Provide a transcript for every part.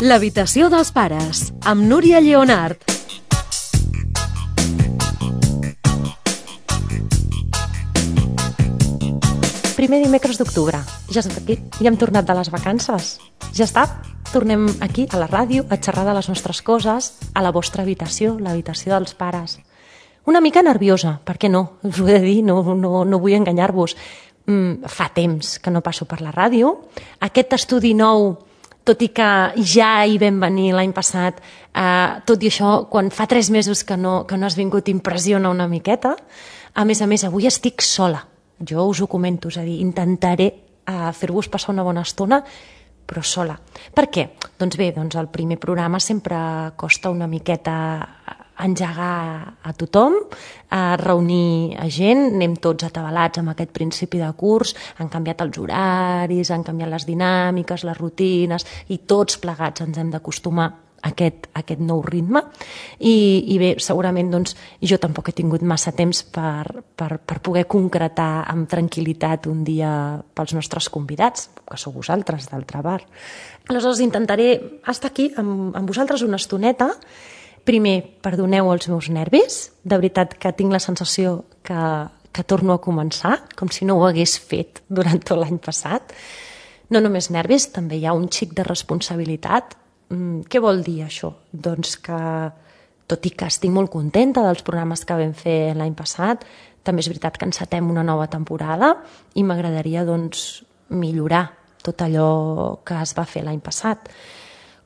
L'habitació dels pares, amb Núria Lleonart. Primer dimecres d'octubre. Ja estem aquí. Ja hem tornat de les vacances. Ja està. Tornem aquí, a la ràdio, a xerrar de les nostres coses, a la vostra habitació, l'habitació dels pares. Una mica nerviosa, per què no? Us ho he de dir, no vull enganyar-vos. Fa temps que no passo per la ràdio. Aquest estudi nou, tot i que ja hi vam venir l'any passat, tot i això, quan fa 3 mesos que no has vingut, impressiona una miqueta. A més, avui estic sola. Jo us ho comento, és a dir, intentaré fer-vos passar una bona estona, però sola. Per què? Doncs bé, el primer programa sempre costa una miqueta engegar a tothom, a reunir a gent, anem tots atabalats amb aquest principi de curs, han canviat els horaris, han canviat les dinàmiques, les rutines, i tots plegats ens hem d'acostumar a aquest nou ritme. I bé, segurament jo tampoc he tingut massa temps per poder concretar amb tranquil·litat un dia pels nostres convidats, que sou vosaltres, d'altra part. Aleshores intentaré estar aquí amb vosaltres una estoneta. Primer, perdoneu els meus nervis, de veritat que tinc la sensació que torno a començar, com si no ho hagués fet durant tot l'any passat. No només nervis, també hi ha un xic de responsabilitat. Què vol dir això? Doncs que, tot i que estic molt contenta dels programes que vam fer l'any passat, també és veritat que encetem una nova temporada i m'agradaria millorar tot allò que es va fer l'any passat.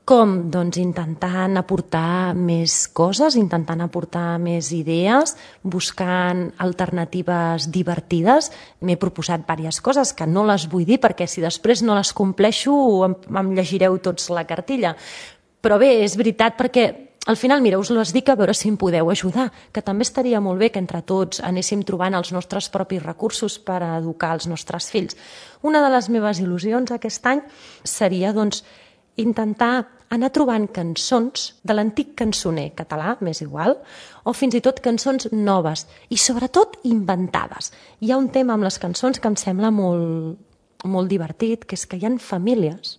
Com? Doncs intentant aportar més coses, intentant aportar més idees, buscant alternatives divertides. M'he proposat diverses coses que no les vull dir perquè si després no les compleixo em llegireu tots la cartilla. Però bé, és veritat perquè al final, mira, us les dic a veure si em podeu ajudar, que també estaria molt bé que entre tots anéssim trobant els nostres propis recursos per educar els nostres fills. Una de les meves il·lusions aquest any seria, intentar anar trobant cançons de l'antic cançoner català, m'és igual, o fins i tot cançons noves i sobretot inventades. Hi ha un tema amb les cançons que em sembla molt divertit, que és que hi ha famílies.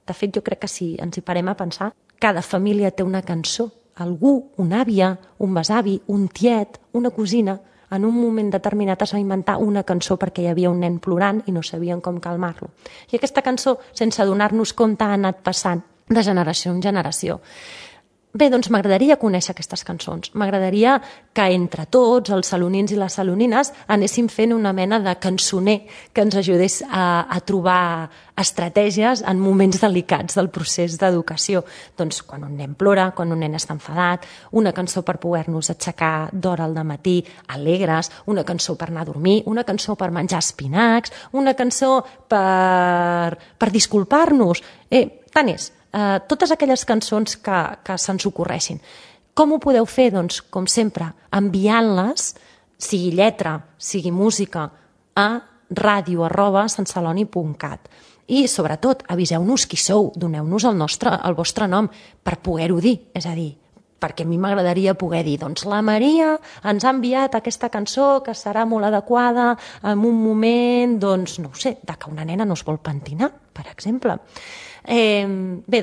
De fet, jo crec que si ens hi parem a pensar, cada família té una cançó. Algú, una àvia, un besavi, un tiet, una cosina, en un moment determinat es va inventar una cançó perquè hi havia un nen plorant i no sabien com calmar-lo. I aquesta cançó, sense adonar-nos compte, ha anat passant de generació en generació. Bé, m'agradaria conèixer aquestes cançons. M'agradaria que entre tots, els salonins i les salonines, anéssim fent una mena de cançoner que ens ajudés a trobar estratègies en moments delicats del procés d'educació. Quan un nen plora, quan un nen està enfadat, una cançó per poder-nos aixecar d'hora al dematí alegres, una cançó per anar a dormir, una cançó per menjar espinacs, una cançó per disculpar-nos. Tant és. Totes aquelles cançons que se'ns ocorreixin. Com ho podeu fer? Com sempre, enviant-les, sigui lletra, sigui música, a radio@santceloni.cat. I, sobretot, aviseu-nos qui sou, doneu-nos el vostre nom per poder-ho dir. És a dir, perquè a mi m'agradaria poder dir la Maria ens ha enviat aquesta cançó que serà molt adequada en un moment, no ho sé, que una nena no es vol pentinar, per exemple. Bé,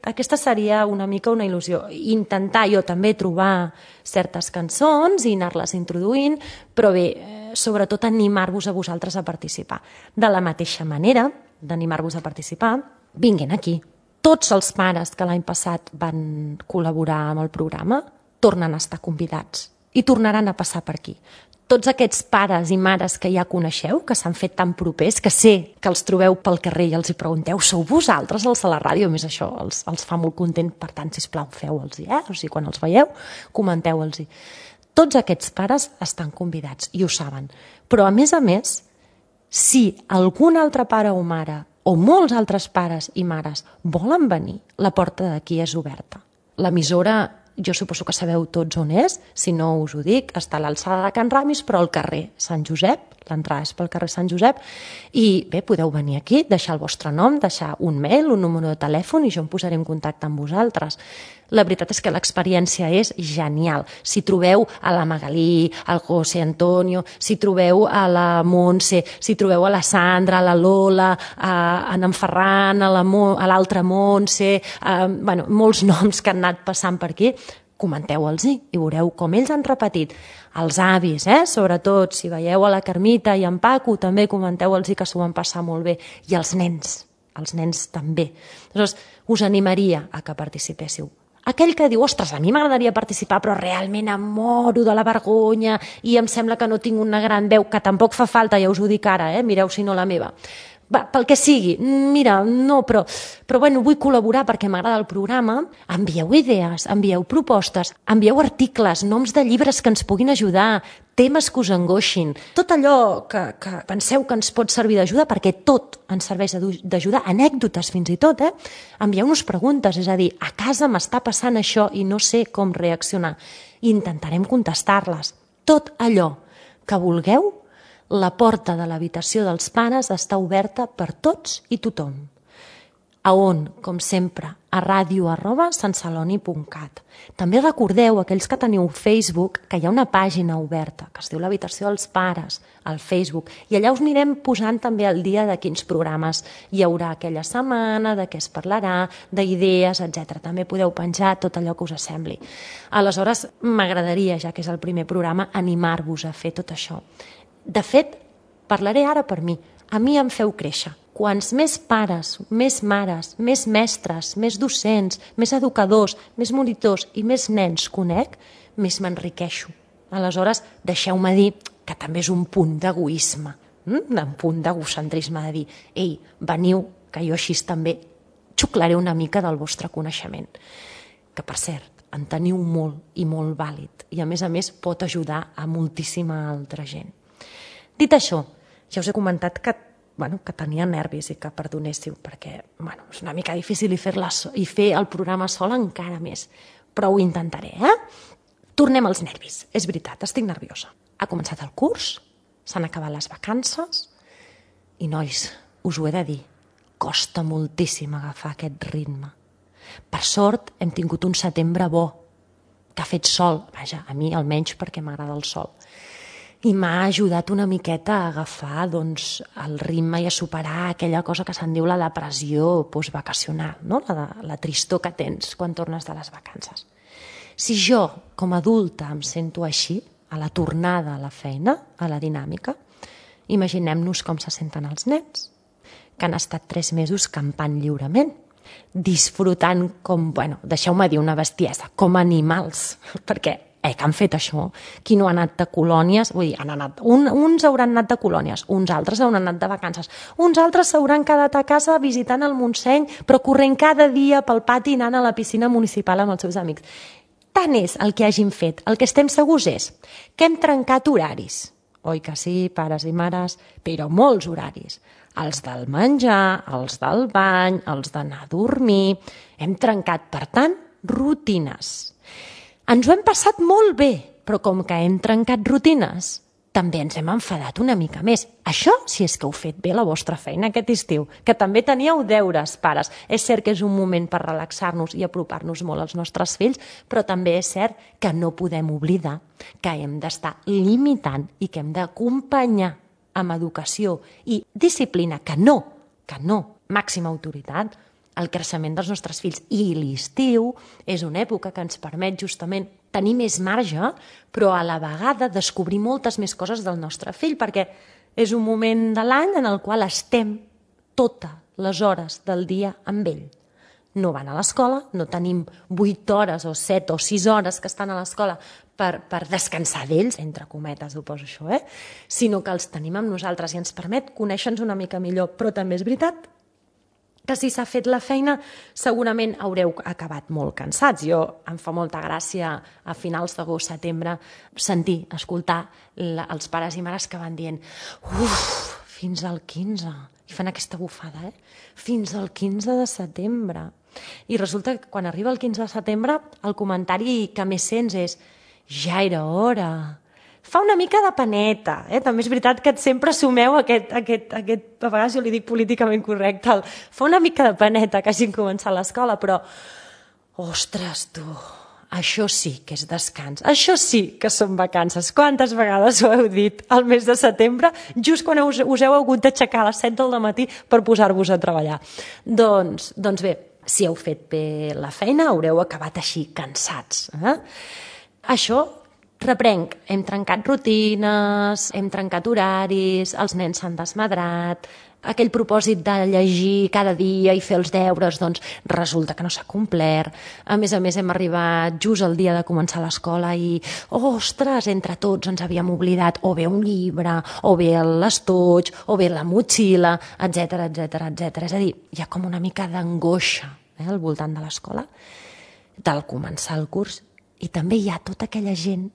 aquesta seria una mica una il·lusió. Intentar jo també trobar certes cançons i anar-les introduint, però bé, sobretot animar-vos a vosaltres a participar. De la mateixa manera d'animar-vos a participar, vinguin aquí. Tots els pares que l'any passat van col·laborar amb el programa tornen a estar convidats i tornaran a passar per aquí. Tots aquests pares i mares que ja coneixeu, que s'han fet tan propers, que sé que els trobeu pel carrer i els hi pregunteu, sou vosaltres els de la ràdio? A més, això els fa molt content, per tant, sisplau, feu-los-hi, O sigui, quan els veieu, comenteu-los-hi. Tots aquests pares estan convidats i ho saben. Però, a més, si algun altre pare o mare o molts altres pares i mares volen venir, la porta d'aquí és oberta. L'emissora jo suposo que sabeu tots on és, si no us ho dic, està a l'alçada de Can Ramis, però al carrer Sant Josep, l'entrada és pel carrer Sant Josep, i bé, podeu venir aquí, deixar el vostre nom, deixar un mail, un número de telèfon, i jo em posaré en contacte amb vosaltres. La veritat és que l'experiència és genial. Si trobeu a la Magalí, al José Antonio, si trobeu a la Montse, si trobeu a la Sandra, a la Lola, a en Ferran, a l'altra Montse, bueno, molts noms que han anat passant per aquí, comenteu-los i veureu com ells han repetit. Els avis, sobretot, si veieu a la Carmita i en Paco, també comenteu-los que s'ho van passar molt bé. I els nens també. Llavors, us animaria a que participéssiu. Aquell que diu, ostres, a mi m'agradaria participar, però realment em moro de la vergonya i em sembla que no tinc una gran veu, que tampoc fa falta, ja us ho dic ara, mireu si no la meva. Va, pel que sigui, mira, no, però bueno, vull col·laborar perquè m'agrada el programa, envieu idees, envieu propostes, envieu articles, noms de llibres que ens puguin ajudar, temes que us angoixin, tot allò que penseu que ens pot servir d'ajuda, perquè tot ens serveix d'ajuda, anècdotes fins i tot, envieu-nos preguntes, és a dir, a casa m'està passant això i no sé com reaccionar, i intentarem contestar-les. Tot allò que vulgueu, la porta de l'habitació dels pares està oberta per tots i tothom. A on, com sempre, a radio@santceloni.cat. També recordeu, aquells que teniu Facebook, que hi ha una pàgina oberta que es diu l'habitació dels pares, al Facebook, i allà us anirem posant també el dia de quins programes hi haurà aquella setmana, de què es parlarà, d'idees, etc. També podeu penjar tot allò que us sembli. Aleshores, m'agradaria, ja que és el primer programa, animar-vos a fer tot això. De fet, parlaré ara per mi. A mi em feu créixer. Quants més pares, més mares, més mestres, més docents, més educadors, més monitors i més nens conec, més m'enriqueixo. Aleshores, deixeu-me dir que també és un punt d'egoisme, un punt d'egocentrisme de dir, ei, veniu, que jo així també xuclaré una mica del vostre coneixement. Que, per cert, en teniu molt i molt vàlid i, a més, pot ajudar a moltíssima altra gent. Dit això, ja us he comentat que tenia nervis i que perdonéssiu, perquè és una mica difícil i fer el programa sol encara més, però ho intentaré. Tornem als nervis, és veritat, estic nerviosa. Ha començat el curs, s'han acabat les vacances i, nois, us ho he de dir, costa moltíssim agafar aquest ritme. Per sort, hem tingut un setembre bo, que ha fet sol, vaja, a mi almenys perquè m'agrada el sol. I m'ha ajudat una miqueta a agafar el ritme i a superar aquella cosa que se'n diu la depressió postvacacional, no? La tristor que tens quan tornes de les vacances. Si jo, com a adulta, em sento així, a la tornada a la feina, a la dinàmica, imaginem-nos com se senten els nens, que han estat 3 mesos campant lliurement, disfrutant com, deixeu-me dir una bestiesa, com animals, perquè que han fet això, qui no ha anat de colònies, vull dir, uns hauran anat de colònies, uns altres hauran anat de vacances, uns altres s'hauran quedat a casa visitant el Montseny, però corrent cada dia pel pati anant a la piscina municipal amb els seus amics. Tant és el que hagin fet, el que estem segurs és que hem trencat horaris, oi que sí, pares i mares, però molts horaris, els del menjar, els del bany, els d'anar a dormir, hem trencat, per tant, rutines. Ens ho hem passat molt bé, però com que hem trencat rutines, també ens hem enfadat una mica més. Això si és que heu fet bé la vostra feina aquest estiu, que també teníeu deures, pares. És cert que és un moment per relaxar-nos i apropar-nos molt als nostres fills, però també és cert que no podem oblidar que hem d'estar limitant i que hem d'acompanyar amb educació i disciplina, que no, màxima autoritat, el creixement dels nostres fills. I l'estiu és una època que ens permet justament tenir més marge, però a la vegada descobrir moltes més coses del nostre fill, perquè és un moment de l'any en el qual estem totes les hores del dia amb ell. No van a l'escola, no tenim 8 hores o 7 o 6 hores que estan a l'escola per descansar d'ells, entre cometes ho poso això, sinó que els tenim amb nosaltres i ens permet conèixer-nos una mica millor. Però també és veritat que si s'ha fet la feina segurament haureu acabat molt cansats. Em fa molta gràcia a finals d'agost, setembre, escoltar els pares i mares que van dient fins al 15, i fan aquesta bufada, fins al 15 de setembre. I resulta que quan arriba el 15 de setembre el comentari que més sents és ja era hora. Fa una mica de paneta, També és veritat que sempre assumeu aquest a vegades jo li dic políticament correcte, fa una mica de paneta que hagin començat l'escola, però ostres, tu, això sí que és descans, això sí que són vacances. Quantes vegades ho heu dit al mes de setembre, just quan us heu hagut d'aixecar a les 7 del matí per posar-vos a treballar? Doncs bé, si heu fet bé la feina, haureu acabat així cansats. Això reprenc, hem trencat rutines, hem trencat horaris, els nens s'han desmadrat, aquell propòsit de llegir cada dia i fer els deures, doncs resulta que no s'ha complert. A més, hem arribat just el dia de començar l'escola i, ostres, entre tots ens havíem oblidat o bé un llibre, o bé l'estoig, o bé la motxilla, etc etc. És a dir, hi ha com una mica d'angoixa al voltant de l'escola, del començar el curs, i també hi ha tota aquella gent,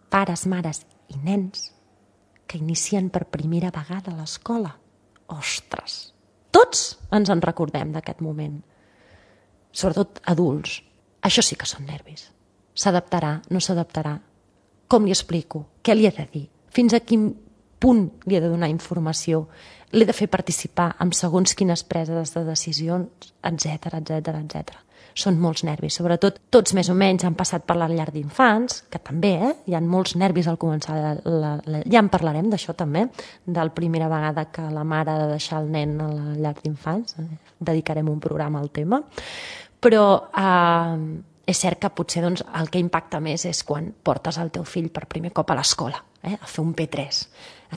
pares, mares i nens, que inicien per primera vegada a l'escola. Ostres! Tots ens en recordem d'aquest moment. Sobretot adults. Això sí que són nervis. S'adaptarà, no s'adaptarà? Com li explico? Què li he de dir? Fins a quin punt li he de donar informació? L'he de fer participar en segons quines preses de decisions, etc. Són molts nervis, sobretot tots més o menys han passat per la llar d'infants, que també, hi ha molts nervis al començar, ja en parlarem d'això també, de la primera vegada que la mare ha de deixar el nen a la llar d'infants, dedicarem un programa al tema, però és cert que potser el que impacta més és quan portes el teu fill per primer cop a l'escola, a fer un P3,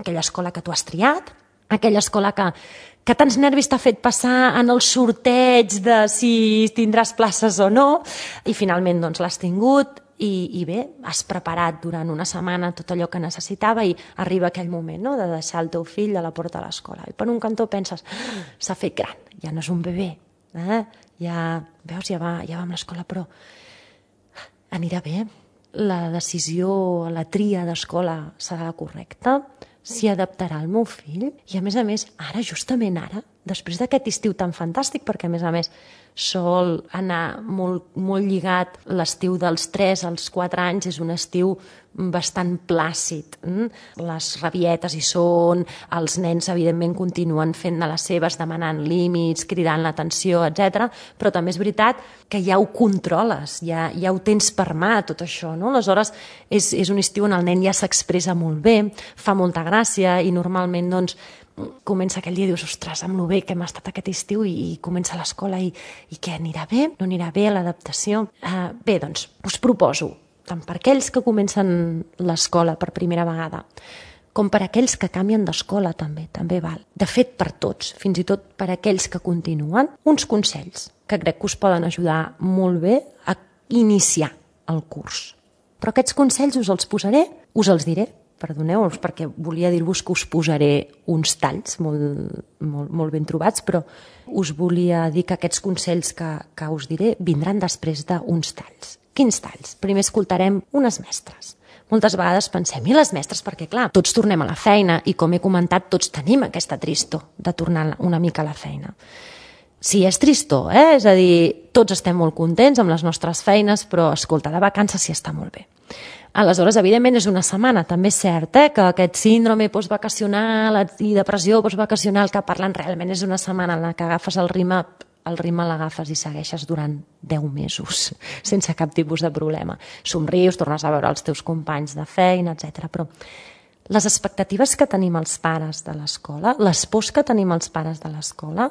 aquella escola que tu has triat, aquella escola que tants nervis t'ha fet passar en el sorteig de si tindràs places o no, i finalment l'has tingut i bé, has preparat durant una setmana tot allò que necessitava i arriba aquell moment de deixar el teu fill a la porta de l'escola. I per un cantó penses, s'ha fet gran, ja no és un bebè, ja va amb l'escola, però anirà bé, la decisió, la tria d'escola serà correcta, s'hi adaptarà el meu fill i a més, ara, justament ara, després d'aquest estiu tan fantàstic, perquè a més sol anar molt lligat, l'estiu dels 3 als 4 anys és un estiu bastant plàcid. Les rabietes hi són, els nens evidentment continuen fent de les seves, demanant límits, cridant l'atenció, etc. Però també és veritat que ja ho controles, ja ho tens per mà, tot això, no? Aleshores, és un estiu on el nen ja s'expressa molt bé, fa molta gràcia i normalment, comença aquell dia i dius, ostres, amb lo bé que hem estat aquest estiu i comença l'escola i què, anirà bé? No anirà bé l'adaptació? Bé, us proposo, tant per aquells que comencen l'escola per primera vegada, com per aquells que canvien d'escola també val. De fet, per tots, fins i tot per aquells que continuen, uns consells que crec que us poden ajudar molt bé a iniciar el curs. Però aquests consells us els diré, perdoneu-vos, perquè volia dir-vos que us posaré uns talls molt ben trobats, però us volia dir que aquests consells que us diré vindran després d'uns talls. Quins talls? Primer escoltarem unes mestres. Moltes vegades pensem, i les mestres? Perquè, clar, tots tornem a la feina i, com he comentat, tots tenim aquesta tristor de tornar una mica a la feina. Sí, és tristor, és a dir, tots estem molt contents amb les nostres feines, però, escolta, de vacances sí està molt bé. Aleshores, evidentment, és una setmana, també és cert, que aquest síndrome postvacacional i depressió postvacacional que parlen realment és una setmana en la que agafes el ritme l'agafes i segueixes durant 10 mesos, sense cap tipus de problema. Somrius, tornes a veure els teus companys de feina, etc. Però les expectatives que tenim els pares de l'escola, les pors que tenim els pares de l'escola,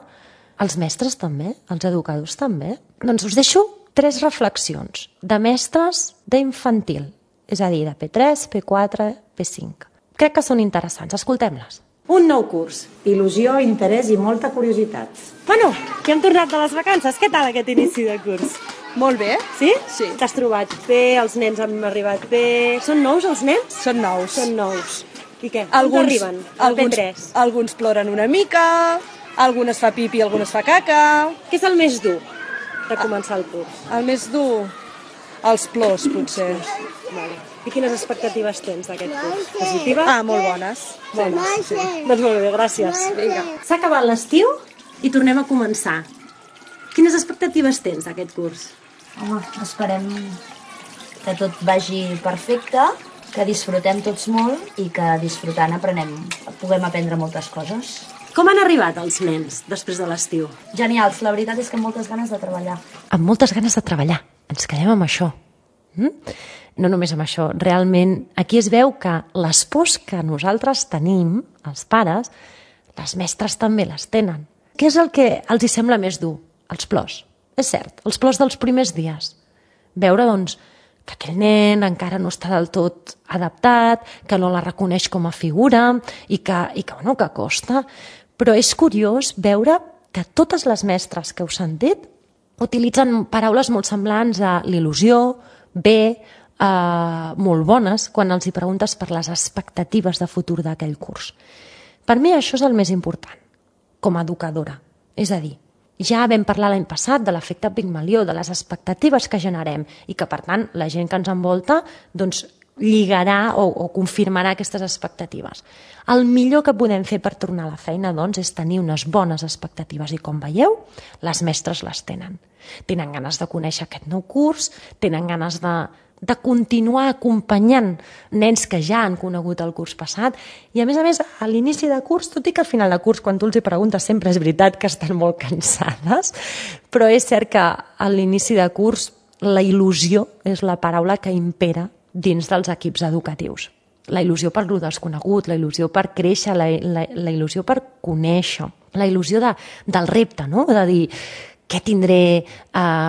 els mestres també, els educadors també, doncs us deixo 3 reflexions de mestres d'infantil, és a dir, de P3, P4, P5. Crec que són interessants, escoltem-les. Un nou curs, il·lusió, interès i molta curiositat. Bueno, que hem tornat de les vacances. Què tal aquest inici de curs? Molt bé. Sí? Sí. T'has trobat bé, els nens han arribat bé... Són nous els nens? Són nous. Són nous. I què? Alguns arriben? Al P3? Alguns ploren una mica, algunes fa pipi, algunes fa caca... Què és el més dur de començar el curs? El més dur... Els plors, potser. Vale. I quines expectatives tens d'aquest curs? Positives? Molt bones. Bones, sí. Doncs molt bé, gràcies. Vinga. S'ha acabat l'estiu i tornem a començar. Quines expectatives tens d'aquest curs? Home, esperem que tot vagi perfecte, que disfrutem tots molt i que disfrutant puguem aprendre moltes coses. Com han arribat els nens després de l'estiu? Genials, la veritat és que amb moltes ganes de treballar. Amb moltes ganes de treballar. Ens quedem amb això. No només amb això. Realment, aquí es veu que les pors que nosaltres tenim, els pares, les mestres també les tenen. Què és el que els hi sembla més dur? Els plors. És cert, els plors dels primers dies. Veure, doncs, que aquell nen encara no està del tot adaptat, que no la reconeix com a figura i que costa. Però és curiós veure que totes les mestres que heu sentit utilitzen paraules molt semblants a l'il·lusió, molt bones, quan els hi preguntes per les expectatives de futur d'aquell curs. Per mi això és el més important, com a educadora. És a dir, ja vam parlar l'any passat de l'efecte Pigmalió, de les expectatives que generem i que, per tant, la gent que ens envolta doncs, lligarà o confirmarà aquestes expectatives. El millor que podem fer per tornar a la feina doncs, és tenir unes bones expectatives i, com veieu, les mestres les tenen. Tenen ganes de conèixer aquest nou curs, tenen ganes de continuar acompanyant nens que ja han conegut el curs passat i, a més, a l'inici de curs, tot i que al final de curs, quan tu els hi preguntes, sempre és veritat que estan molt cansades, però és cert que a l'inici de curs la il·lusió és la paraula que impera dins dels equips educatius. La il·lusió per lo desconegut, la il·lusió per créixer, la il·lusió per conèixer, la il·lusió del repte, no? De dir, què tindré,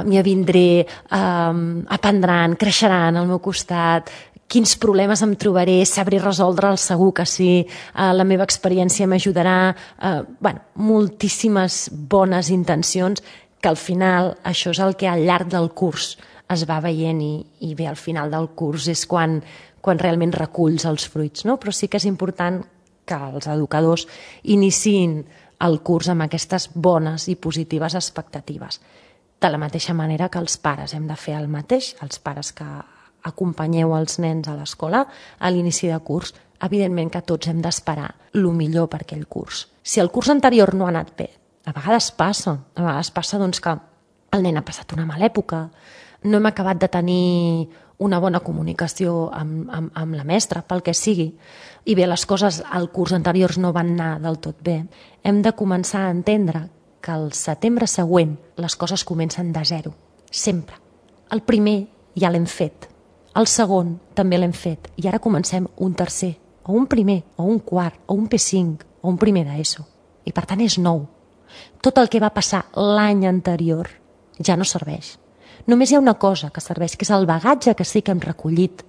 m'hi avindré, aprendran, creixeran al meu costat, quins problemes em trobaré, sabré resoldre'ls, segur que sí, la meva experiència m'ajudarà, moltíssimes bones intencions que al final això és el que al llarg del curs es va veient i bé, al final del curs és quan realment reculls els fruits, no? Però sí que és important que els educadors iniciïn el curs amb aquestes bones i positives expectatives. De la mateixa manera que els pares hem de fer el mateix, els pares que acompanyeu els nens a l'escola a l'inici de curs, evidentment que tots hem d'esperar el millor per aquell curs. Si el curs anterior no ha anat bé, a vegades passa doncs, que el nen ha passat una mala època, no hem acabat de tenir una bona comunicació amb la mestra, pel que sigui, i bé, les coses al curs anteriors no van anar del tot bé, hem de començar a entendre que el setembre següent les coses comencen de zero, sempre. El primer ja l'hem fet, el segon també l'hem fet, i ara comencem un tercer, o un primer, o un quart, o un P5, o un primer d'ESO. I per tant és nou. Tot el que va passar l'any anterior ja no serveix. Només hi ha una cosa que serveix, que és el bagatge que sí que hem recollit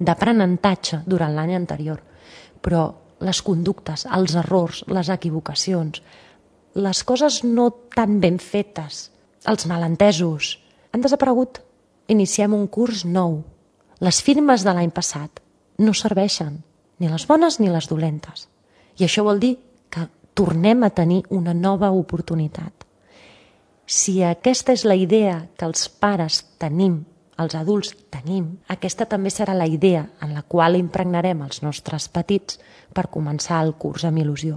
d'aprenentatge durant l'any anterior. Però les conductes, els errors, les equivocacions, les coses no tan ben fetes, els malentesos, han desaparegut. Iniciem un curs nou. Les firmes de l'any passat no serveixen, ni les bones ni les dolentes. I això vol dir que tornem a tenir una nova oportunitat. Si aquesta és la idea que els pares tenim, els adults tenim, aquesta també serà la idea en la qual impregnarem els nostres petits per començar el curs amb il·lusió.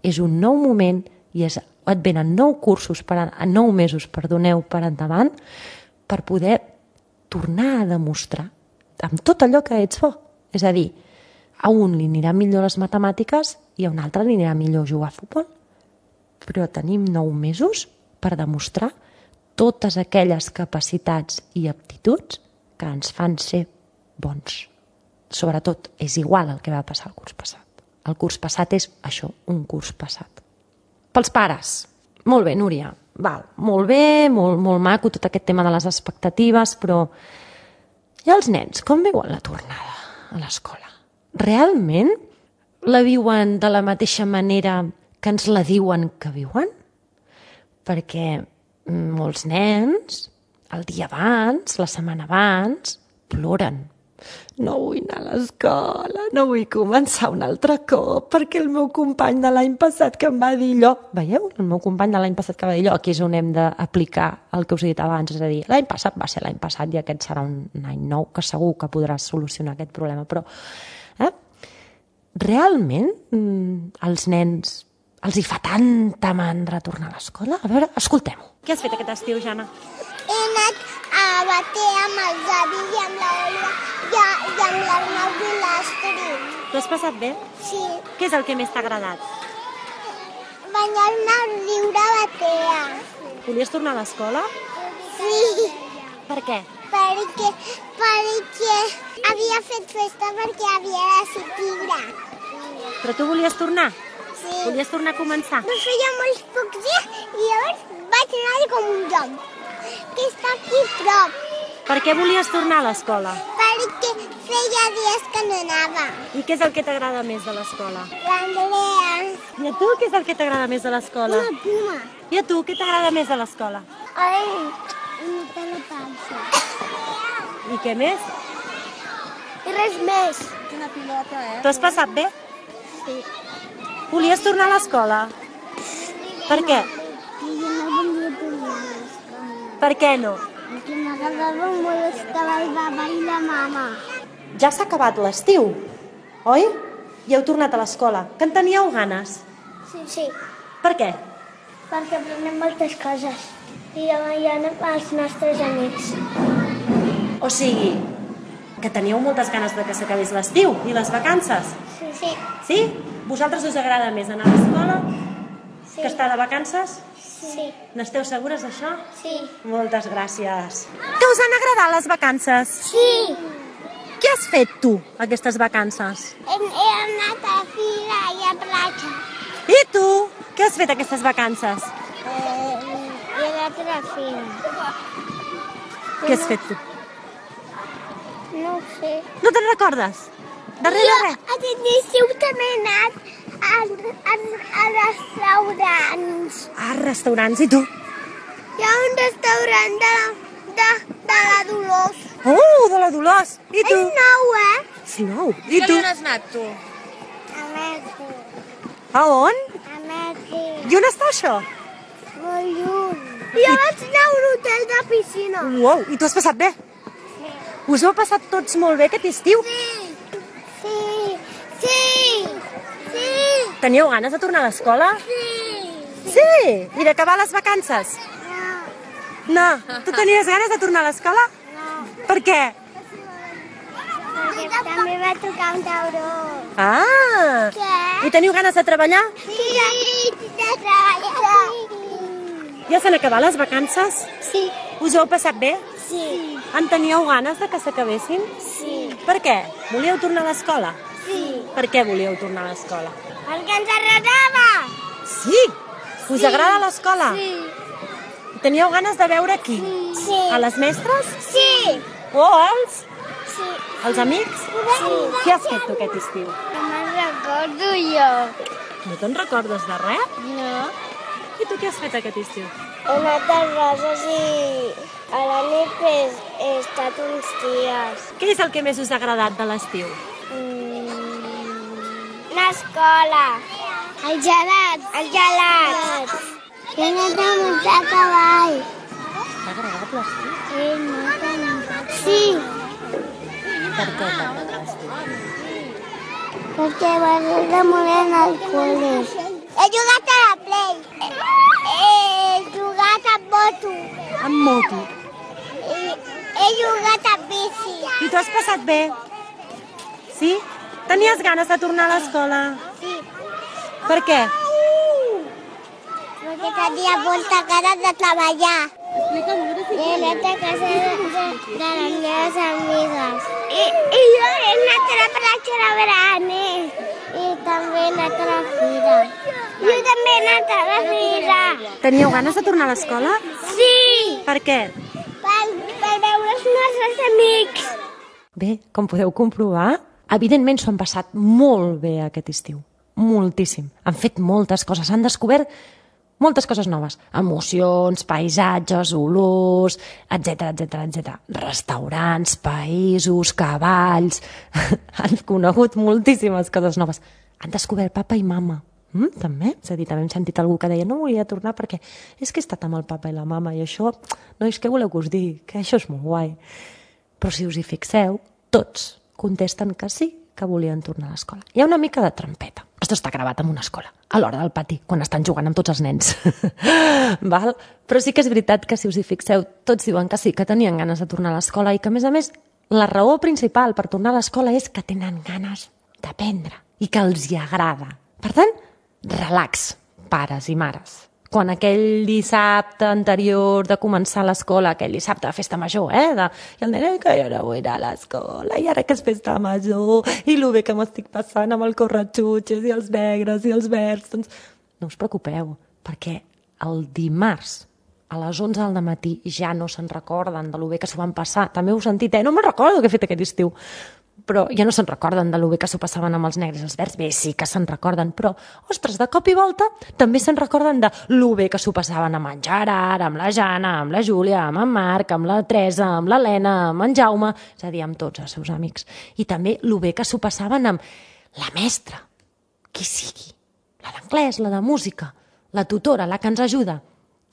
És un nou moment i et venen 9 mesos per endavant per poder tornar a demostrar amb tot allò que ets bo. És a dir, a un li anirà millor les matemàtiques i a un altre li anirà millor jugar a futbol. Però tenim 9 mesos per demostrar totes aquelles capacitats i aptituds que ens fan ser bons. Sobretot, és igual el que va passar el curs passat. El curs passat és això, un curs passat. Pels pares, molt bé, Núria, molt bé, molt maco tot aquest tema de les expectatives, però i els nens, com veuen la tornada a l'escola? Realment la viuen de la mateixa manera que ens la diuen que viuen? Perquè molts nens, el dia abans, la setmana abans, ploren. No vull anar a l'escola, no vull començar un altre cop, perquè el meu company de l'any passat que em va dir allò... Veieu? El meu company de l'any passat que va dir allò, aquí és on hem d'aplicar el que us he dit abans, és a dir, l'any passat va ser l'any passat i aquest serà un any nou, que segur que podràs solucionar aquest problema, però realment els nens els hi fa tanta mandra tornar a l'escola. A veure, escoltem-ho. Què has fet aquest estiu, Jana? He anat a Batea amb els avis i amb l'Olga i amb l'Arnau i l'Astrid. T'ho has passat bé? Sí. Què és el que més t'ha agradat? Banyar-me al riu de Batea. Volies tornar a l'escola? Sí, Per què? perquè havia fet festa perquè havia de ser tigre. Però tu volies tornar? Sí. Volies tornar a començar? Però feia molts pocs dies i llavors vaig anar com un lloc, que està aquí a prop, Per què volies tornar a l'escola? perquè feia dies que no anava. I què és el que t'agrada més de l'escola? L'Andrea, I a tu què és el que t'agrada més de l'escola? una puma. I a tu què t'agrada més de l'escola? Ai, imitar la panxa. I què més? I res més. T'ho has passat bé? Sí. Volies tornar a l'escola? Per què? I jo no volia tornar a l'escola. Per què no? Perquè m'agradava molt estar al baba i la mama. Ja s'ha acabat l'estiu, oi? I heu tornat a l'escola. Que en teníeu ganes? Sí. Per què? Perquè aprenem moltes coses. I demà hi ha els nostres amics. O sigui, que teníeu moltes ganes de que s'acabés l'estiu i les vacances. Sí. Sí? Vosaltres us agrada més anar a l'escola Sí. que estar de vacances? Sí. N'esteu segures d'això? Sí. Moltes gràcies. Que us han agradat les vacances? Sí. Què has fet tu, aquestes vacances? He anat a fila i a platja. I tu? Què has fet aquestes vacances? He anat a la fila. Què has fet tu? No ho sé. No te'n recordes? De res, de res. Aquest estiu també he anat a restaurants. Ah, restaurants, i tu? Hi ha un restaurant de la Dolors. Oh, de la Dolors. I tu? És nou, És nou. I tu? has anat, tu? A Mèxic. A on? A Mèxic. I on està això? Molt lluny. Jo vaig anar a un hotel de piscina. Uau, i tu has passat bé? Us ho heu passat tots molt bé aquest estiu? Sí. Teníeu ganes de tornar a l'escola? Sí. Sí! I d'acabar les vacances? No. Tu tenies ganes de tornar a l'escola? No. Per què? Perquè també va tocar un tauró. Ah! Què? I teniu ganes de treballar? Sí, de treballar. Ja s'han acabat les vacances? Sí. Us ho heu passat bé? Sí. En teníeu ganes de que s'acabessin? Sí. Per què? Volíeu tornar a l'escola? Sí. Per què volíeu tornar a l'escola? Perquè ens agradava. Sí! Us agrada l'escola? Sí. Teníeu ganes de veure qui? Sí. A les mestres? Sí. O als? Sí. Els amics? Sí. Què has fet tu aquest estiu? No me'n recordo jo. No te'n recordes de res? No. I tu què has fet aquest estiu? He anat a Roses i a la nit he estat uns dies. Què és el que més us ha agradat de l'estiu? L'escola. El gelat. El gelat. He anat a muntar a cavall. T'ha agradat l'estiu? He anat a muntar. Sí, Per què t'ha agradat l'estiu? perquè m'agrada molt anar al col·le. He jugat a la Play. He jugat a moto. Amb moto. He jugat a bici. I t'ho has passat bé? Sí? Tenies ganes de tornar a l'escola? Sí. Per què? Perquè tenia molta ganes de treballar. He anat a casa de les meves amigues. I jo he anat a la platja de Branes. I també he anat a la fira. Jo també he anat a la fira. Teníeu ganes de tornar a l'escola? Sí! Per què? Per veure els nostres amics. Bé, com podeu comprovar, evidentment s'ho han passat molt bé aquest estiu. Moltíssim. Han fet moltes coses, han descobert moltes coses noves. Emocions, paisatges, olors, etc. Restaurants, països, cavalls... Han conegut moltíssimes coses noves. Han descobert papa i mama. També. És a dir, també hem sentit algú que deia no volia tornar perquè és que he estat amb el papa i la mama i això, nois, què voleu que us digui? Que això és molt guai. Però si us hi fixeu, tots contesten que sí, que volien tornar a l'escola. Hi ha una mica de trampeta. Això està gravat en una escola, a l'hora del pati, quan estan jugant amb tots els nens. Val? Però sí que és veritat que, si us hi fixeu, tots diuen que sí, que tenien ganes de tornar a l'escola i que, a més, la raó principal per tornar a l'escola és que tenen ganes d'aprendre i que els hi agrada. Per tant, relax, pares i mares. Quan aquell dissabte anterior de començar l'escola, aquell dissabte de festa major, i el nen que jo no vull anar a l'escola, i ara que és festa major, i lo bé que m'estic passant amb el corretxutxes i els negres i els verds, doncs no us preocupeu, perquè el dimarts a les 11 del matí ja no se'n recorden de lo bé que s'ho van passar. També heu sentit, no me'n recordo què he fet aquest estiu. Però ja no se'n recorden de lo bé que s'ho passaven amb els negres i els verds. Bé, sí que se'n recorden, però, ostres, de cop i volta també se'n recorden de lo bé que s'ho passaven amb en Gerard, amb la Jana, amb la Júlia, amb en Marc, amb la Teresa, amb l'Helena, amb en Jaume, és a dir, amb tots els seus amics. I també lo bé que s'ho passaven amb la mestra, qui sigui, la d'anglès, la de música, la tutora, la que ens ajuda.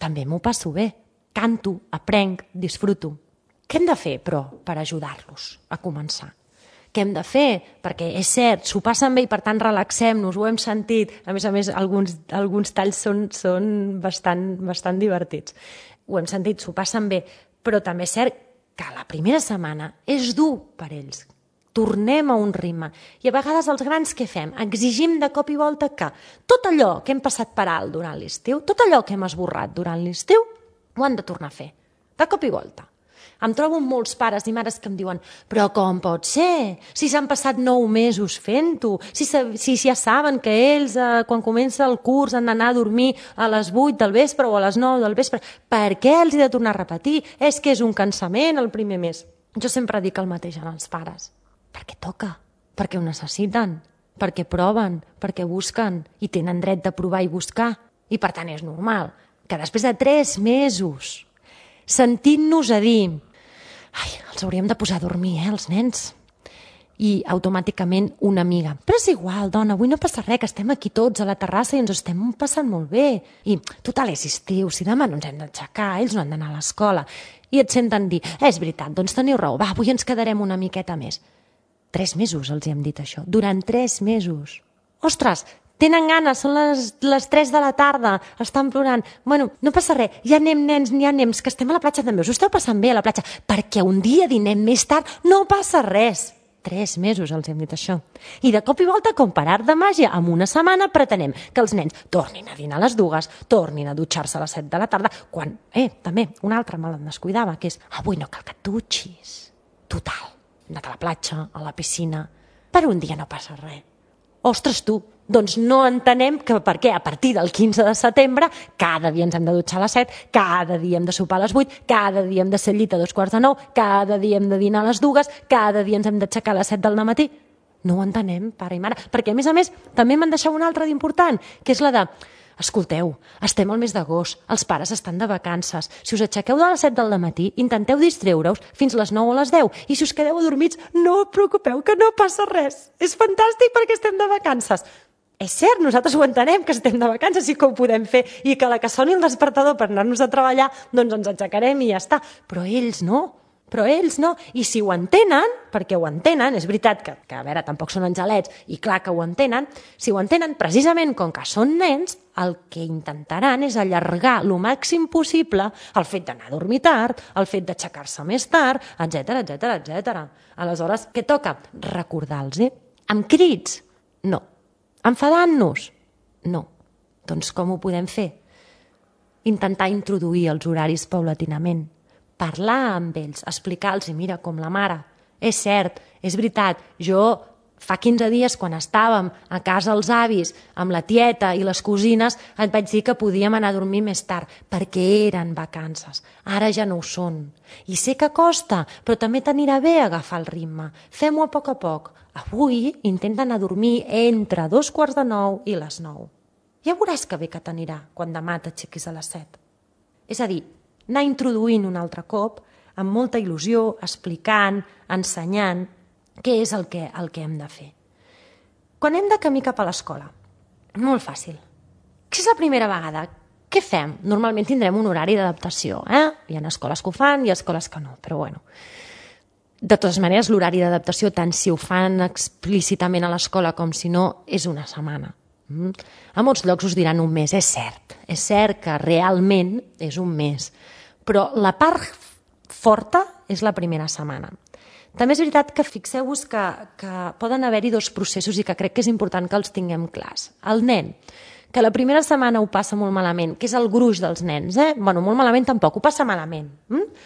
També m'ho passo bé, canto, aprenc, disfruto. Què hem de fer, però, per ajudar-los a començar? Què hem de fer? Perquè és cert, s'ho passen bé i per tant relaxem-nos, ho hem sentit. A més, alguns talls són bastant divertits. Ho hem sentit, s'ho passen bé, però també és cert que la primera setmana és dur per ells. Tornem a un ritme. I a vegades els grans què fem? Exigim de cop i volta que tot allò que hem passat per alt durant l'estiu, tot allò que hem esborrat durant l'estiu, ho han de tornar a fer. De cop i volta. Em trobo molts pares i mares que em diuen però com pot ser? Si s'han passat 9 mesos fent-ho, si ja saben que ells, quan comença el curs, han d'anar a dormir a les 8 del vespre o a les 9 del vespre, per què els he de tornar a repetir? És que és un cansament el primer mes. Jo sempre dic el mateix als pares. Perquè toca, perquè ho necessiten, perquè proven, perquè busquen i tenen dret de provar i buscar. I per tant és normal que després de 3 mesos sentint-nos a dir els hauríem de posar a dormir, els nens. I automàticament una amiga. Però és igual, dona, avui no passa res, que estem aquí tots a la terrassa i ens ho estem passant molt bé. I total, és estiu, si demà no ens hem d'aixecar, ells no han d'anar a l'escola. I et senten dir, és veritat, doncs teniu raó, va, avui ens quedarem una miqueta més. 3 mesos els hi hem dit això, durant 3 mesos. Ostres, tenen ganes, són les 3 de la tarda, estan plorant. Bueno, no passa res, ja anem, nens, ja anem, que estem a la platja també, us ho esteu passant bé a la platja, perquè un dia dinem més tard no passa res. 3 mesos els hem dit això. I de cop i volta, com per art de màgia, en una setmana pretenem que els nens tornin a dinar a les 2, tornin a dutxar-se a les 7 de la tarda, quan, també, una altra me la descuidava, que és, avui no cal que et dutxis. Total, hem anat a la platja, a la piscina, per un dia no passa res. Ostres, tu, doncs no entenem que per què a partir del 15 de setembre cada dia ens hem de dutxar a les 7, cada dia hem de sopar a les 8, cada dia hem de ser al llit a 8:45, cada dia hem de dinar a les 2, cada dia ens hem d'aixecar a les 7 del matí. No ho entenem, pare i mare. Perquè, a més, també me'n deixava una altra d'important, que és la de, escolteu, estem al mes d'agost, els pares estan de vacances. Si us aixequeu de les 7 del matí, intenteu distreure-us fins les 9 o les 10. I si us quedeu adormits, no us preocupeu, que no passa res. És fantàstic perquè estem de vacances. És cert, nosaltres ho entenem, que estem de vacances i que ho podem fer i que a la que soni el despertador per anar-nos a treballar, doncs ens aixecarem i ja està. Però ells no. I si ho entenen, perquè ho entenen, és veritat que a veure, tampoc són angelets, i clar que ho entenen, si ho entenen, precisament com que són nens, el que intentaran és allargar lo màxim possible el fet d'anar a dormir tard, el fet d'aixecar-se més tard, etc. Aleshores, què toca? Recordar-los. Amb crits? No. Enfadant-nos? No. Doncs com ho podem fer? Intentar introduir els horaris paulatinament. Parlar amb ells, explicar-los, mira, com la mare. És cert, és veritat, jo fa 15 dies, quan estàvem a casa els avis, amb la tieta i les cosines, et vaig dir que podíem anar a dormir més tard, perquè eren vacances. Ara ja no ho són. I sé que costa, però també t'anirà bé agafar el ritme. Fem-ho a poc. Avui intenta anar a dormir entre 8:45 i les 9. Ja veuràs que bé que t'anirà quan demà t'aixequis a les 7. És a dir, anar introduint un altre cop, amb molta il·lusió, explicant, ensenyant què és el que hem de fer. Quan hem de camí cap a l'escola, molt fàcil. Si és la primera vegada, què fem? Normalment tindrem un horari d'adaptació. Hi ha escoles que ho fan i escoles que no, però bueno. De totes maneres, l'horari d'adaptació, tant si ho fan explícitament a l'escola com si no, és una setmana. A molts llocs us diran un mes, és cert que realment és un mes, però la part forta és la primera setmana. També és veritat que fixeu-vos que poden haver-hi dos processos i que crec que és important que els tinguem clars. El nen, que la primera setmana ho passa molt malament, que és el gruix dels nens, Bueno, molt malament tampoc, ho passa malament.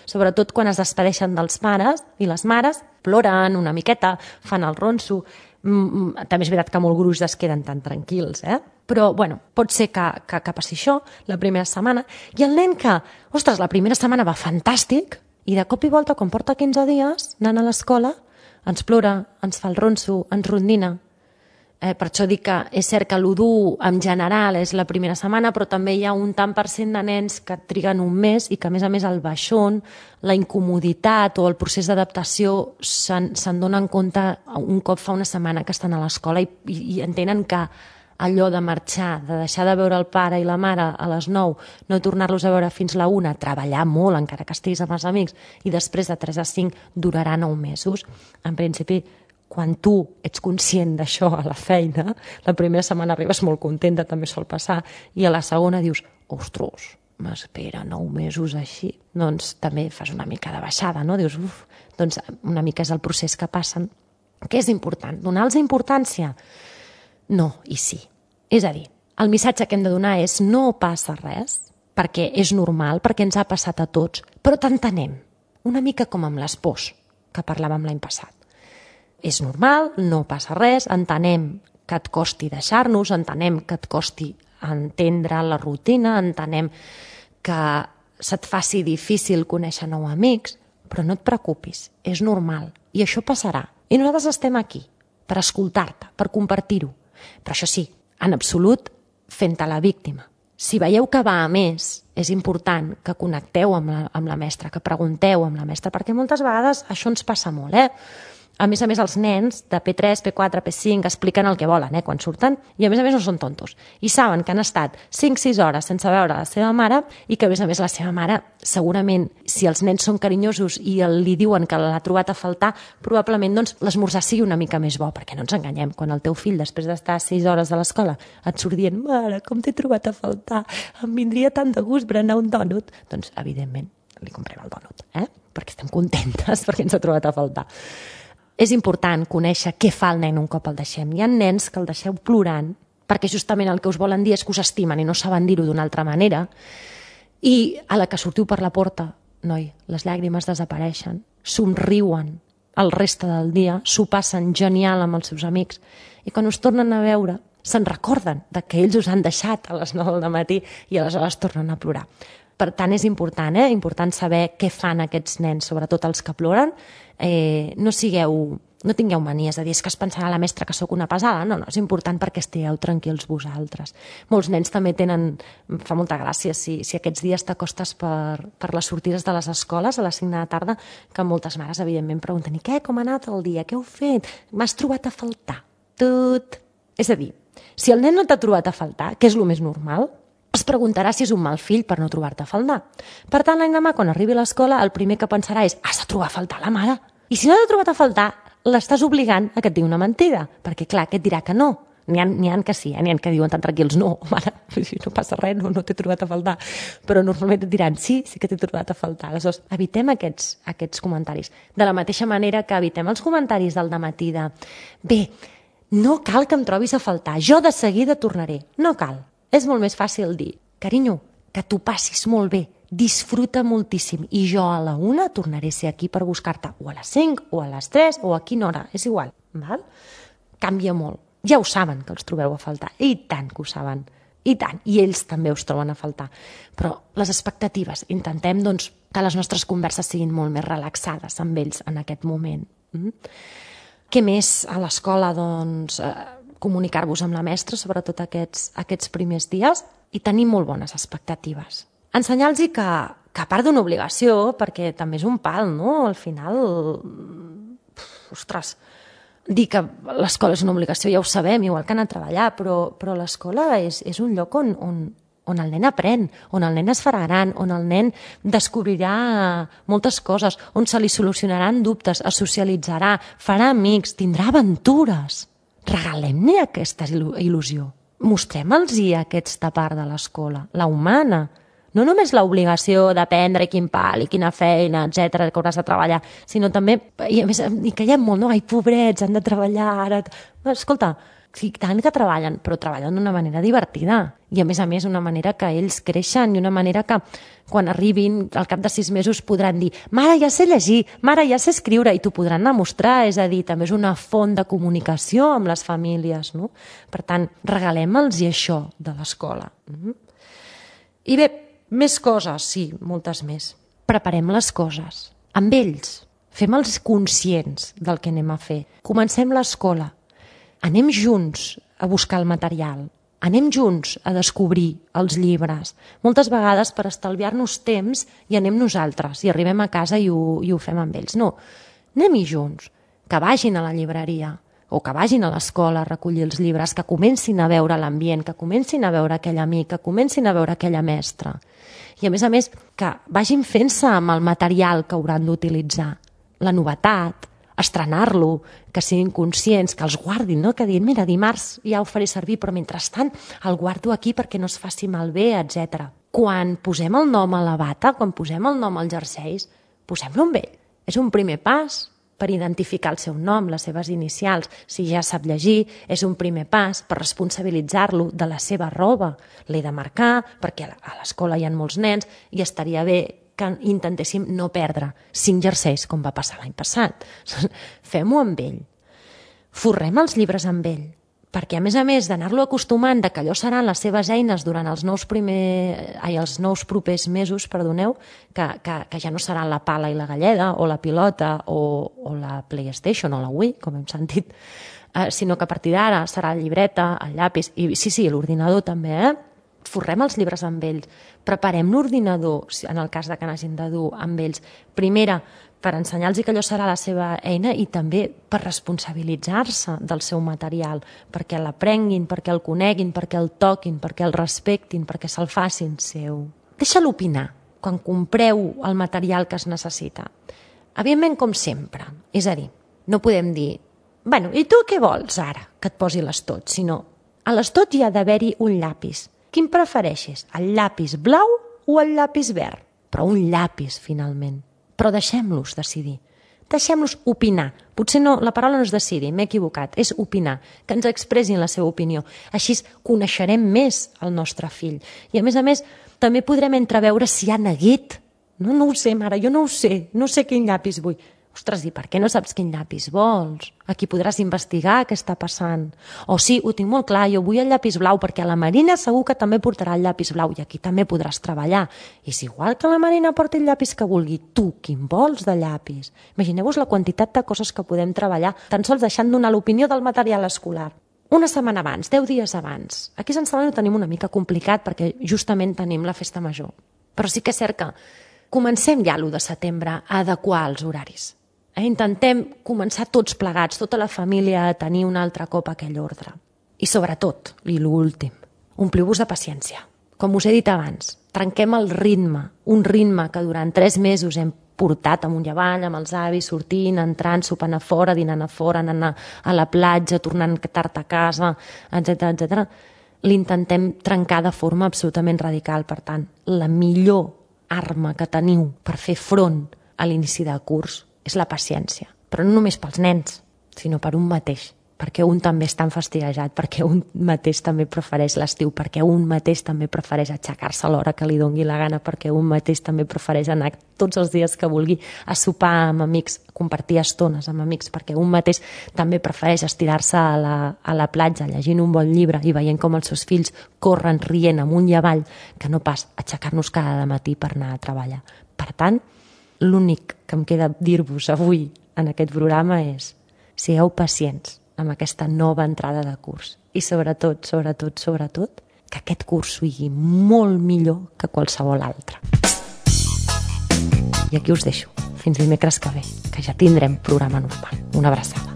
Sobretot quan es despedeixen dels pares i les mares, ploren una miqueta, fan el ronso. També és veritat que molt gruix es queden tan tranquils, Però, bueno, pot ser que passi això la primera setmana. I el nen que, ostres, la primera setmana va fantàstic i de cop i volta, quan porta 15 dies anant a l'escola, ens plora, ens fa el ronso, ens rondina. Per això dic que és cert que l'1 en general és la primera setmana, però també hi ha un tant per cent de nens que triguen un mes i que, a més, el baixón, la incomoditat o el procés d'adaptació se'n donen compte un cop fa una setmana que estan a l'escola i entenen que allò de marxar, de deixar de veure el pare i la mare a les 9, no tornar-los a veure fins la 1, treballar molt, encara que estiguis amb els amics, i després de 3 a 5 durarà 9 mesos. En principi, quan tu ets conscient d'això a la feina, la primera setmana arribes molt contenta, també sol passar, i a la segona dius, ostres, m'espera 9 mesos així. Doncs també fas una mica de baixada, no? Dius, doncs una mica és el procés que passen. Què és important? Donar-los importància? No i sí. És a dir, el missatge que hem de donar és no passa res, perquè és normal, perquè ens ha passat a tots, però t'entenem, una mica com amb les pors que parlàvem l'any passat. És normal, no passa res, entenem que et costi deixar-nos, entenem que et costi entendre la rutina, entenem que se't faci difícil conèixer nous amics, però no et preocupis, és normal, i això passarà. I nosaltres estem aquí, per escoltar-te, per compartir-ho. Però això sí, en absolut, fent-te la víctima. Si veieu que va a més, és important que connecteu amb la mestra, que pregunteu amb la mestra, perquè moltes vegades això ens passa molt, A més, els nens de P3, P4, P5 expliquen el que volen quan surten i a més no són tontos. I saben que han estat 5-6 hores sense veure la seva mare i que a més la seva mare, segurament, si els nens són carinyosos i li diuen que l'ha trobat a faltar, probablement l'esmorzar sigui una mica més bo, perquè no ens enganyem. Quan el teu fill, després d'estar 6 hores a l'escola, et surt dient, mare, com t'he trobat a faltar, em vindria tant de gust berenar un dònut, doncs, evidentment, li comprem el dònut, perquè estem contentes perquè ens ha trobat a faltar. És important conèixer què fa el nen un cop el deixem. Hi ha nens que el deixeu plorant perquè justament el que us volen dir és que us estimen i no saben dir-ho d'una altra manera i a la que sortiu per la porta, noi, les llàgrimes desapareixen, somriuen el reste del dia, s'ho passen genial amb els seus amics i quan us tornen a veure se'n recorden que ells us han deixat a les 9 del matí i aleshores tornen a plorar. Per tant, és important, important saber què fan aquests nens, sobretot els que ploren. No tingueu manies de dir que es pensarà la mestra que sóc una pesada. No, és important perquè estigueu tranquils vosaltres. Molts nens també tenen, fa molta gràcia, si aquests dies t'acostes per les sortides de les escoles a les 5 de la tarda, que moltes mares, evidentment, pregunten, i què, com ha anat el dia, què heu fet? M'has trobat a faltar? Tot. És a dir, si el nen no t'ha trobat a faltar, que és el més normal, es preguntarà si és un mal fill per no trobar-te a faltar. Per tant, l'endemà, quan arribi a l'escola, el primer que pensarà és has de trobar a faltar la mare. I si no t'ha trobat a faltar, l'estàs obligant a que et digui una mentida, perquè, clar, aquest dirà que no. N'hi ha que sí, n'hi ha que diuen tan tranquils, no, mare, no passa res, no t'he trobat a faltar. Però normalment et diran, sí que t'he trobat a faltar. Aleshores, evitem aquests comentaris. De la mateixa manera que evitem els comentaris del dematí de bé, no cal que em trobis a faltar, jo de seguida tornaré. No cal. És molt més fàcil dir, carinyo, que t'ho passis molt bé, disfruta moltíssim i jo a la 1 tornaré a ser aquí per buscar-te, o a les 5, o a les 3, o a quina hora, és igual. Val? Canvia molt. Ja ho saben que els trobeu a faltar, i tant que ho saben, i tant, i ells també us troben a faltar. Però les expectatives, intentem que les nostres converses siguin molt més relaxades amb ells en aquest moment. Què més a l'escola? Comunicar-vos amb la mestra, sobretot aquests primers dies, i tenir molt bones expectatives. Ensenyar-los que a part d'una obligació, perquè també és un pal, no? Al final, ostres, dir que l'escola és una obligació ja ho sabem, igual que anar a treballar, però l'escola és un lloc on el nen aprèn, on el nen es farà gran, on el nen descobrirà moltes coses, on se li solucionaran dubtes, es socialitzarà, farà amics, tindrà aventures. Regalem-ne aquesta il·lusió. mostrem-los aquesta part de l'escola, la humana. No només l'obligació d'aprendre quin pal i quina feina, etcètera, que hauràs de treballar, sinó també, i a més, hi caiem molt, no? Ai, pobrets, han de treballar ara. Escolta, sí, tant que treballen, però treballen d'una manera divertida. I a més, una manera que ells creixen i una manera que quan arribin al cap de 6 mesos podran dir mare, ja sé llegir, mare, ja sé escriure, i t'ho podran demostrar, és a dir, també és una font de comunicació amb les famílies, no? Per tant, regalem-los això de l'escola. I bé, més coses, sí, moltes més. Preparem les coses amb ells, fem-los conscients del que anem a fer. Comencem l'escola, anem junts a buscar el material, anem junts a descobrir els llibres. Moltes vegades per estalviar-nos temps hi anem nosaltres i arribem a casa i ho fem amb ells. No, anem-hi junts, que vagin a la llibreria o que vagin a l'escola a recollir els llibres, que comencin a veure l'ambient, que comencin a veure aquell amic, que comencin a veure aquella mestra. I a més, que vagin fent-se amb el material que hauran d'utilitzar. La novetat, estrenar-lo, que siguin conscients, que els guardin, no? Que diguin, mira, dimarts ja ho faré servir, però mentrestant el guardo aquí perquè no es faci malbé, etc. Quan posem el nom a la bata, quan posem el nom als jerseis, posem-lo amb ell. És un primer pas per identificar el seu nom, les seves inicials. Si ja sap llegir, és un primer pas per responsabilitzar-lo de la seva roba. L'he de marcar perquè a l'escola hi ha molts nens i estaria bé que intentéssim no perdre 5 jerseis, com va passar l'any passat. Fem-ho amb ell. Forrem els llibres amb ell, perquè a més d'anar-lo acostumant que allò seran les seves eines durant els nous propers mesos, que ja no seran la pala i la galleda, o la pilota, o la PlayStation, o la Wii, com hem sentit, sinó que a partir d'ara serà la llibreta, el llapis, i sí, l'ordinador també, forrem els llibres amb ells, preparem l'ordinador, en el cas que n'hagin de dur amb ells, primera, per ensenyar-los que allò serà la seva eina i també per responsabilitzar-se del seu material, perquè l'aprenguin, perquè el coneguin, perquè el toquin, perquè el respectin, perquè se'l facin seu. Deixa-lo opinar quan compreu el material que es necessita. Evidentment, com sempre, és a dir, no podem dir bueno, i tu què vols ara que et posi l'estot? Sinó, a l'estot hi ha d'haver-hi un llapis. Quin prefereixes, el llapis blau o el llapis verd? Però un llapis, finalment. Però deixem-los decidir. Deixem-los opinar. Potser no, la paraula no és decidir, m'he equivocat, és opinar, que ens expressin la seva opinió. Així coneixerem més el nostre fill. I a més, també podrem entreveure si ha neguit. No ho sé, mare, jo no ho sé, no sé quin llapis vull. Ostres, i per què no saps quin llapis vols? Aquí podràs investigar què està passant. O sí, ho tinc molt clar, jo vull el llapis blau perquè la Marina segur que també portarà el llapis blau i aquí també podràs treballar. I és igual que la Marina porti el llapis que vulgui, tu quin vols de llapis? Imagineu-vos la quantitat de coses que podem treballar tan sols deixant donar l'opinió del material escolar. Una setmana abans, 10 dies abans. Aquí a Sant Celoni ho tenim una mica complicat perquè justament tenim la festa major. Però sí que és cert que comencem ja l'1 de setembre a adequar els horaris. Intentem començar tots plegats, tota la família, a tenir un altre cop aquell ordre. I sobretot, i l'últim, ompliu-vos de paciència. Com us he dit abans, trenquem el ritme, un ritme que durant 3 mesos hem portat amunt i avall, amb els avis, sortint, entrant, sopant a fora, dinant a fora, anant a la platja, tornant tard a casa, etc. L'intentem trencar de forma absolutament radical. Per tant, la millor arma que teniu per fer front a l'inici de curs és la paciència, però no només pels nens, sinó per un mateix, perquè un també està enfastiguejat, perquè un mateix també prefereix l'estiu, perquè un mateix també prefereix aixecar-se a l'hora que li dongui la gana, perquè un mateix també prefereix anar tots els dies que vulgui a sopar amb amics, compartir estones amb amics, perquè un mateix també prefereix estirar-se a la platja llegint un bon llibre i veient com els seus fills corren rient amunt i avall, que no pas aixecar-nos cada matí per anar a treballar. Per tant, l'únic que em queda dir-vos avui en aquest programa és sigueu pacients amb aquesta nova entrada de curs i sobretot, que aquest curs sigui molt millor que qualsevol altre. I aquí us deixo. Fins dimecres que ve, que ja tindrem programa normal. Una abraçada.